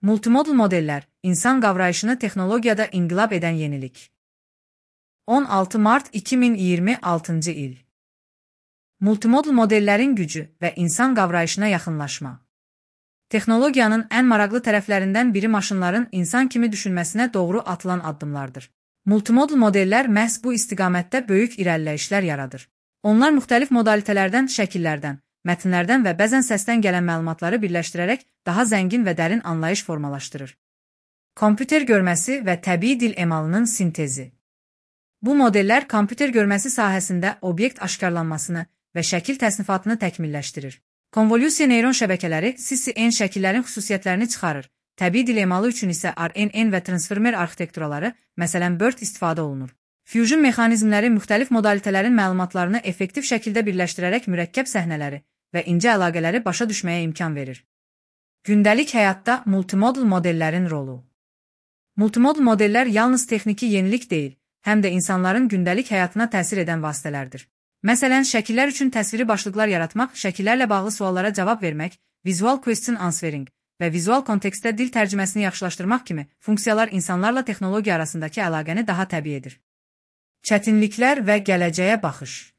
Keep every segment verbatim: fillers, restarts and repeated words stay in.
Multimodal modeller, insan qavrayışını texnologiyada inqilab edən yenilik. on altı mart iki min iyirmi altıncı il. Multimodal modellərin gücü və insan qavrayışına yaxınlaşma. Texnologiyanın ən maraqlı tərəflərindən biri maşınların insan kimi düşünməsinə doğru atılan addımlardır. Multimodal modellər məhz bu istiqamətdə böyük irəliləyişlər yaradır. Onlar müxtəlif modalitələrdən, şəkillərdən, mətnlərdən və bəzən səsdən gələn məlumatları birləşdirərək daha zəngin və dərin anlayış formalaşdırır. Kompüter görməsi və təbii dil emalının sintezi. Bu modellər kompüter görməsi sahəsində obyekt aşkarlanmasını və şəkil təsnifatını təkmilləşdirir. Konvolyusiya neyron şəbəkələri C C N şəkillərin xüsusiyyətlərini çıxarır. Təbii dil emalı üçün isə R N N və transformer arxitekturaları, məsələn BERT istifadə olunur. Fusion mexanizmləri müxtəlif modalitələrin məlumatlarını effektiv şəkildə birləşdirərək mürəkkəb səhnələri və incə əlaqələri başa düşməyə imkan verir. Gündəlik həyatda multimodal modellərin rolu. Multimodal modellər yalnız texniki yenilik deyil, həm də insanların gündəlik həyatına təsir edən vasitələrdir. Məsələn, şəkillər üçün təsviri başlıqlar yaratmaq, şəkillərlə bağlı suallara cavab vermək, visual question answering və vizual kontekstdə dil tərcüməsini yaxşılaşdırmaq kimi funksiyalar insanlarla texnologiya arasındakı əlaqəni daha təbii edir. Çətinliklər və gələcəyə baxış.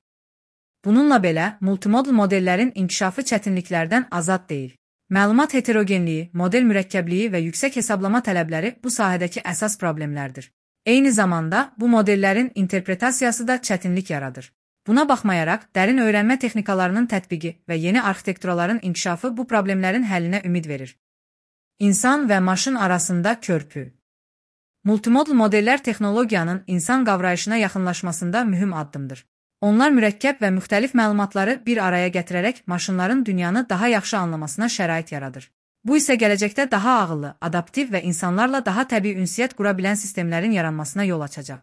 Bununla belə, multimodal modellərin inkişafı çətinliklərdən azad deyil. Məlumat heterogenliyi, model mürəkkəbliyi və yüksək hesablama tələbləri bu sahədəki əsas problemlərdir. Eyni zamanda, bu modellərin interpretasiyası da çətinlik yaradır. Buna baxmayaraq, dərin öyrənmə texnikalarının tətbiqi və yeni arxitekturaların inkişafı bu problemlərin həllinə ümid verir. İnsan və maşın arasında körpü. Multimodal modellər texnologiyanın insan qavrayışına yaxınlaşmasında mühüm addımdır. Onlar mürəkkəb və müxtəlif məlumatları bir araya gətirərək maşınların dünyanı daha yaxşı anlamasına şərait yaradır. Bu isə gələcəkdə daha ağıllı, adaptiv və insanlarla daha təbii ünsiyyət qura bilən sistemlərin yaranmasına yol açacaq.